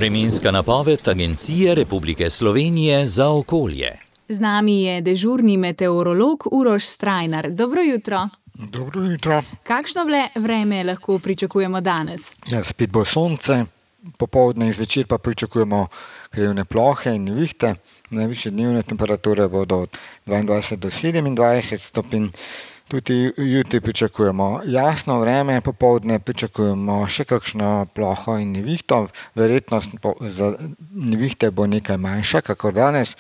Vremenska napoved Agencije Republike Slovenije za okolje. Z nami je dežurni meteorolog Uroš Strajnar. Dobro jutro. Dobro jutro. Kakšno vreme lahko pričakujemo danes? Ja, spet bo sonce, popoldne in zvečer pa pričakujemo krajevne plohe in nevihte. Najvišje dnevne temperature bodo od 22 do 27 stopinj. Tudi jutri pričakujemo jasno vreme, popoldne pričakujemo še kakšno ploho in nevihto. Verjetnost za nevihte bo nekaj manjša, kakor danes.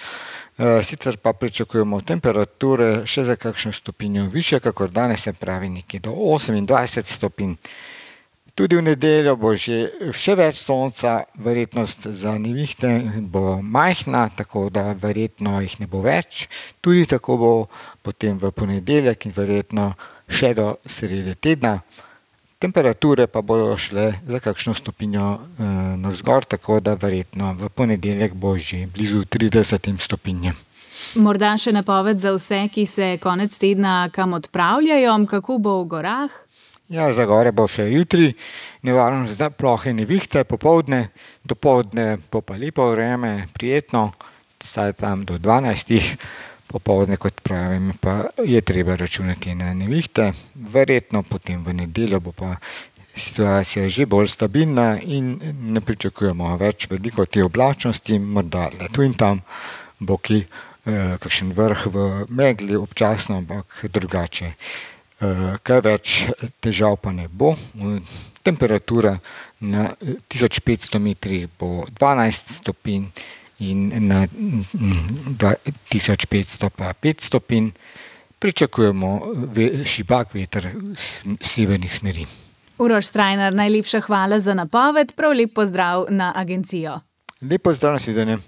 Sicer pa pričakujemo temperature še za kakšno stopinjo višje, kakor danes, se pravi nekje do 28 stopinj. Tudi v nedeljo bo še več sonca, verjetnost za nevihte bo majhna, tako da verjetno jih ne bo več. Tudi tako bo potem v ponedeljek in verjetno še do srede tedna. Temperature pa bodo šle za kakšno stopinjo navzgor, tako da verjetno v ponedeljek bo že blizu 30 stopinjem. Morda še napoved za vse, ki se konec tedna kam odpravljajo, kako bo v gorah? Ja, za gore bo še jutri nevarnost za plohe in nevihte, popoldne, dopoldne bo pa lepo vreme, prijetno, vsaj tam do 12. Popoldne, kot pravim, pa je treba računati na nevihte. Verjetno potem v nedeljo bo pa situacija že bolj stabilna in ne pričakujemo več veliko te oblačnosti, morda le tu in tam bo kakšen vrh v megli občasno, ampak drugače. Kaj več težav pa ne bo. Temperatura na 1500 metrih bo 12 stopinj in na 1500 pa 5 stopinj. Pričakujemo šibak veter severnih smeri. Uroš Strajnar, najlepša hvala za napoved, prav lep pozdrav na agencijo. Lep pozdrav, na svidenje.